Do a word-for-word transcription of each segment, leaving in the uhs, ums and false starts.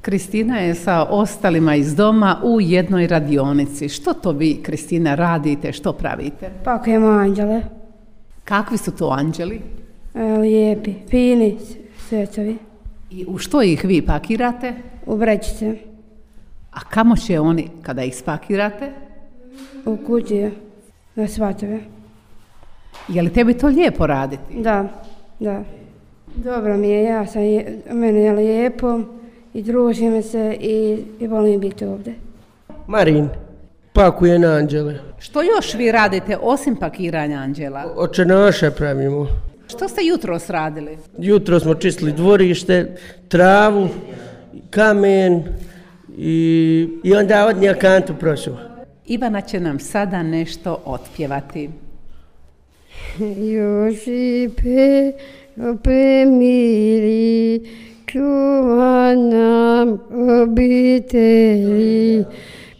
Kristina je sa ostalima iz doma u jednoj radionici. Što to vi, Kristina, radite, što pravite? Pakujemo anđele. Kakvi su to anđeli? E, lijepi, fini, svetovi. I u što ih vi pakirate? U vrećice. A kamo će oni kada ih spakirate? U kući, na svatove. Je li tebi to lijepo raditi? Da, da. Dobro mi je, ja sam, mene je lijepo i družim se i, i volim biti ovdje. Marin, pakuje na anđele. Što još vi radite osim pakiranja anđela? Očenaše pravimo. Što ste jutros radili? Jutro smo čistili dvorište, travu, kamen i, i onda odnija kantu prošao. Ivana će nam sada nešto otpjevati. Josipe, premiri, čuva nam obitelji,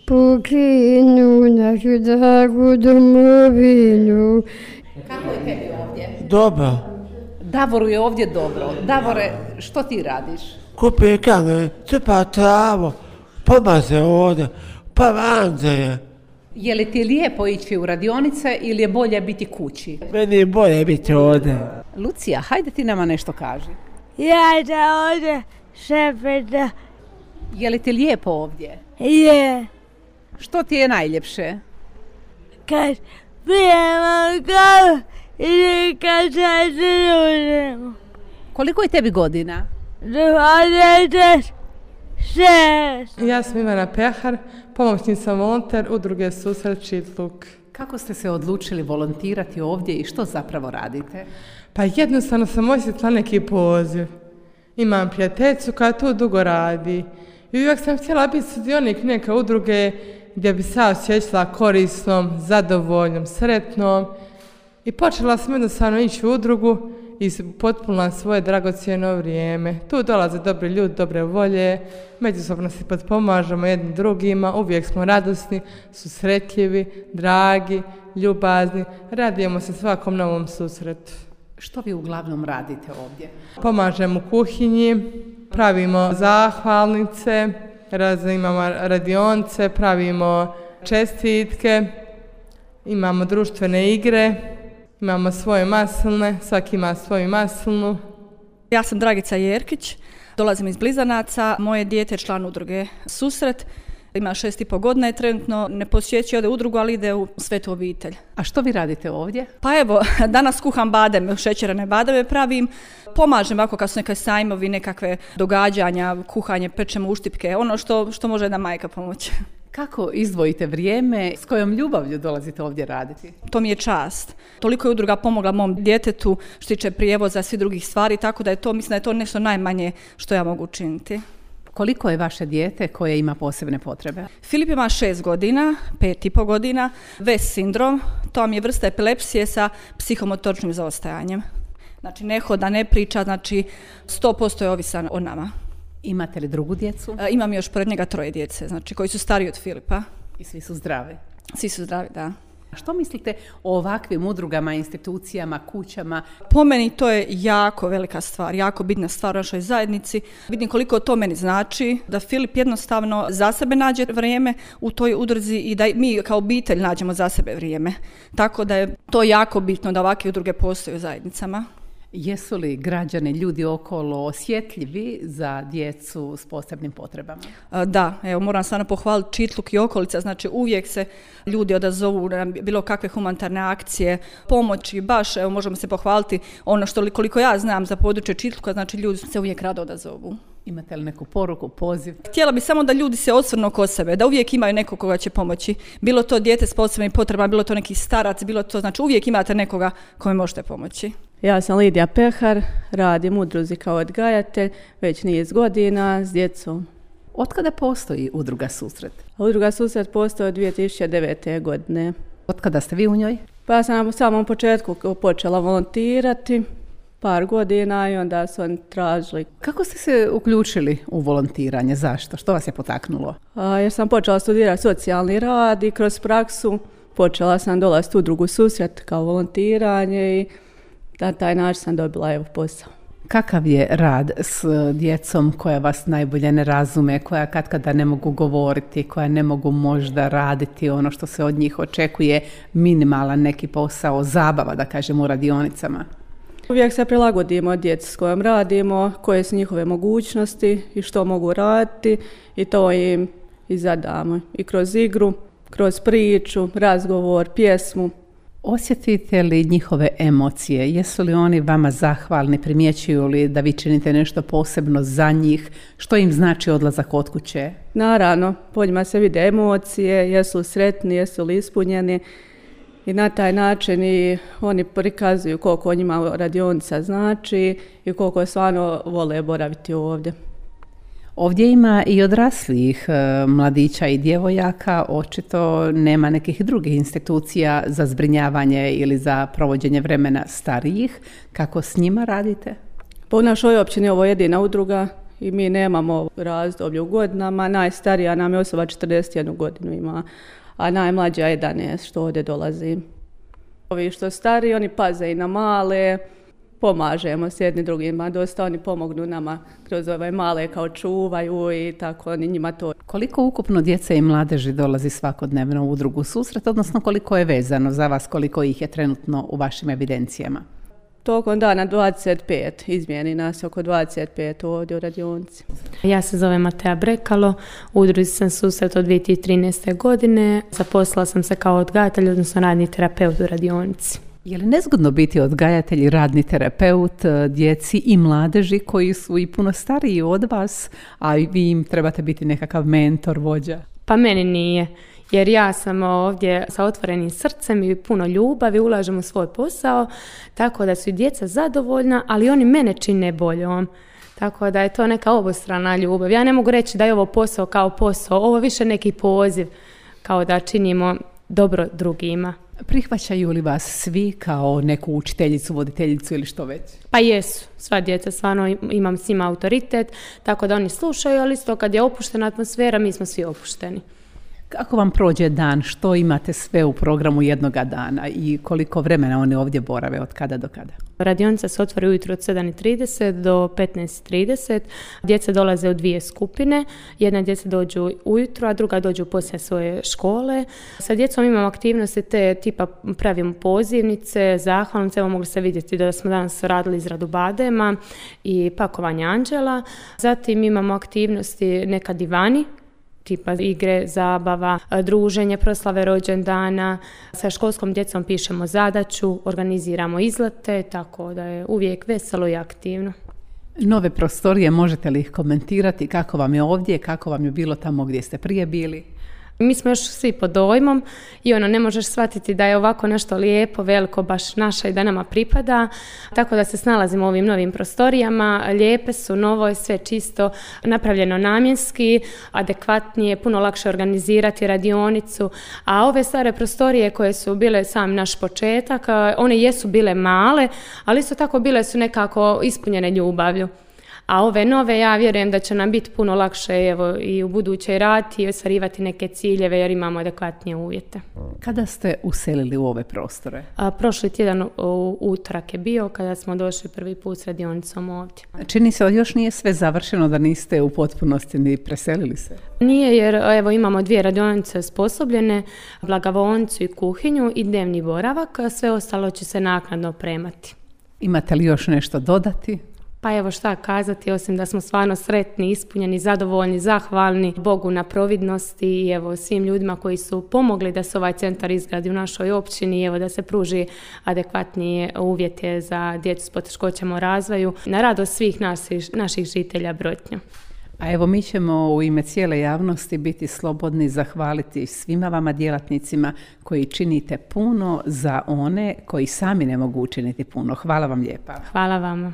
pokrenu našu dragu domovinu. Kako je tebi ovdje? Dobro. Davoru je ovdje dobro. Davore, što ti radiš? Kupi kamen, crpa travo, pomaze ovdje, pa vanze je. Je li ti lijepo ići u radionice ili je bolje biti kući? Meni je bolje biti ovdje. Lucija, hajde ti nama nešto kaži. Ja da ovdje šepeta. Je li ti lijepo ovdje? Je. Što ti je najljepše? Kad pijemo kavu ili kad se družimo. Koliko je tebi godina? dvadeset šest. Ja sam Ivana Pehar, pomoćnica volonter udruge Susret Čitluk. Kako ste se odlučili volontirati ovdje i što zapravo radite? Pa jednostavno sam osjetila neki poziv. Imam prijateljicu koja tu dugo radi i uvijek sam htjela biti sudionik neke udruge gdje bi se osjećala korisnom, zadovoljnom, sretnom i počela sam jednostavno ići u udrugu i potpunila svoje dragocjeno vrijeme. Tu dolaze dobri ljudi, dobre volje, međusobno se potpomažemo jednim drugima, uvijek smo radosni, susretljivi, dragi, ljubazni, radujemo se svakom novom susretu. Što vi uglavnom radite ovdje? Pomažemo u kuhinji, pravimo zahvalnice, razne imamo radionce, pravimo čestitke, imamo društvene igre, imamo svoje maslne, svaki ima svoju maslnu. Ja sam Dragica Jerkić, dolazim iz Blizanaca, moje dijete je član udruge Susret, ima šest i po godina i trenutno ne posjećuje ode udrugu, ali ide u svetu obitelj. A što vi radite ovdje? Pa evo, danas kuham bademe, šećerane bademe pravim, pomažem ovako kad su neke sajmovi, nekakve događanja, kuhanje, pečemo uštipke, ono što, što može jedna majka pomoći. Kako izdvojite vrijeme, s kojom ljubavlju dolazite ovdje raditi? To mi je čast. Toliko je udruga pomogla mom djetetu što tiče prijevoza, svih drugih stvari, tako da je to, mislim da je to nešto najmanje što ja mogu učiniti. Koliko je vaše dijete koje ima posebne potrebe? Filip ima šest godina, pet i po godina, West sindrom, to vam je vrsta epilepsije sa psihomotoričnim zaostajanjem. Znači ne hoda, ne priča, znači sto posto je ovisan o nama. Imate li drugu djecu? E, imam još pored njega troje djece, znači koji su stariji od Filipa. I svi su zdravi? Svi su zdravi, da. Što mislite o ovakvim udrugama, institucijama, kućama? Po meni to je jako velika stvar, jako bitna stvar u našoj zajednici. Vidim koliko to meni znači, da Filip jednostavno za sebe nađe vrijeme u toj udruzi i da mi kao obitelj nađemo za sebe vrijeme. Tako da je to jako bitno da ovakve udruge postoje u zajednicama. Jesu li građani, ljudi okolo osjetljivi za djecu s posebnim potrebama? Da, evo moram stvarno pohvaliti Čitluk i okolica, znači uvijek se ljudi odazovu na bilo kakve humanitarne akcije, pomoći, baš evo možemo se pohvaliti ono što koliko ja znam za područje Čitluka, znači ljudi se uvijek rado odazovu. Imate li neku poruku, poziv? Htjela bi samo da ljudi se osvrnu kod sebe, da uvijek imaju nekog koga će pomoći. Bilo to dijete s posebnim potrebama, bilo to neki starac, bilo to, znači uvijek imate nekoga kome možete pomoći. Ja sam Lidija Pehar, radim u udruzi kao odgajatelj već niz godina s djecom. Otkada postoji udruga Susret? Udruga Susret postoji od dvije tisuće devete. godine. Otkada ste vi u njoj? Pa ja sam na samom početku počela volontirati, par godina i onda su oni tražili. Kako ste se uključili u volontiranje? Zašto? Što vas je potaknulo? A, jer sam počela studirati socijalni rad i kroz praksu počela sam dolaziti u udrugu Susret kao volontiranje i na taj način sam dobila evo posao. Kakav je rad s djecom koja vas najbolje ne razume, koja katkada ne mogu govoriti, koja ne mogu možda raditi ono što se od njih očekuje, minimalan neki posao, zabava da kažemo u radionicama? Uvijek se prilagodimo djeci s kojom radimo, koje su njihove mogućnosti i što mogu raditi i to im i zadamo. I kroz igru, kroz priču, razgovor, pjesmu. Osjetite li njihove emocije? Jesu li oni vama zahvalni? Primjećuju li da vi činite nešto posebno za njih? Što im znači odlazak od kuće? Naravno, po njima se vide emocije, jesu li sretni, jesu li ispunjeni i na taj način i oni prikazuju koliko njima radionica znači i koliko stvarno vole boraviti ovdje. Ovdje ima i odraslijih e, mladića i djevojaka, očito nema nekih drugih institucija za zbrinjavanje ili za provođenje vremena starijih. Kako s njima radite? Pa u našoj općini ovo je jedina udruga i mi nemamo razdoblje u godinama. Najstarija nam je osoba četrdeset jednu godinu ima, a najmlađa jedanaest što ovdje dolazi. Ovi što stari, oni paze i na male, pomažemo s jedni drugima, dosta oni pomognu nama kroz ove male kao čuvaju i tako oni njima to. Koliko ukupno djece i mladeži dolazi svakodnevno u udrugu Susret, odnosno koliko je vezano za vas, koliko ih je trenutno u vašim evidencijama? Tokom dana dvadeset pet, izmijeni nas oko dvadeset pet ovdje u radionici. Ja se zovem Matea Brekalo, u udruzi sam Susret od dvije tisuće trinaeste. godine. Zaposlila sam se kao odgajatelj, odnosno radni terapeut u radionici. Je li nezgodno biti odgajatelj i radni terapeut djeci i mladeži koji su i puno stariji od vas, a vi im trebate biti nekakav mentor, vođa? Pa meni nije, jer ja sam ovdje sa otvorenim srcem i puno ljubavi, ulažem u svoj posao, tako da su i djeca zadovoljna, ali oni mene čine boljom. Tako da je to neka obostrana ljubav. Ja ne mogu reći da je ovo posao kao posao, ovo više neki poziv, kao da činimo dobro drugima. Prihvaćaju li vas svi kao neku učiteljicu, voditeljicu ili što već? Pa jesu, sva djeca, stvarno imam s njima autoritet, tako da oni slušaju, ali isto kad je opuštena atmosfera, mi smo svi opušteni. Kako vam prođe dan? Što imate sve u programu jednoga dana i koliko vremena oni ovdje borave, od kada do kada? Radionica se otvori ujutro od sedam i trideset do petnaest i trideset. Djeca dolaze u dvije skupine. Jedna djeca dođu ujutro, a druga dođu poslije svoje škole. Sa djecom imamo aktivnosti te tipa pravimo pozivnice, zahvalnice. Evo mogli ste vidjeti da smo danas radili izradu badema i pakovanje anđela. Zatim imamo aktivnosti neka divani, tipa igre, zabava, druženje, proslave rođendana. Sa školskom djecom pišemo zadaću, organiziramo izlete, tako da je uvijek veselo i aktivno. Nove prostorije, možete li ih komentirati? Kako vam je ovdje, kako vam je bilo tamo gdje ste prije bili? Mi smo još svi pod dojmom i ono, ne možeš shvatiti da je ovako nešto lijepo, veliko, baš naše i da nama pripada. Tako da se snalazimo u ovim novim prostorijama. Lijepe su, novo je, sve čisto, napravljeno namjenski, adekvatnije, puno lakše organizirati radionicu. A ove stare prostorije koje su bile sam naš početak, one jesu bile male, ali isto tako bile su nekako ispunjene ljubavlju. A ove nove, ja vjerujem da će nam biti puno lakše evo, i u buduće raditi i ostvarivati neke ciljeve jer imamo adekvatnije uvjete. Kada ste uselili u ove prostore? A, prošli tjedan u utorak je bio kada smo došli prvi put s radionicom ovdje. Čini se da još nije sve završeno, da niste u potpunosti ni preselili se? Nije, jer evo, imamo dvije radionice osposobljene, blagovaonicu i kuhinju i dnevni boravak, a sve ostalo će se naknadno opremati. Imate li još nešto dodati? Pa evo šta kazati, osim da smo stvarno sretni, ispunjeni, zadovoljni, zahvalni Bogu na providnosti i evo svim ljudima koji su pomogli da se ovaj centar izgradi u našoj općini i evo da se pruži adekvatnije uvjete za djecu s poteškoćama u razvoju na radost svih naših, naših žitelja Brotnja. A evo mi ćemo u ime cijele javnosti biti slobodni zahvaliti svima vama djelatnicima koji činite puno za one koji sami ne mogu učiniti puno. Hvala vam lijepa. Hvala vama.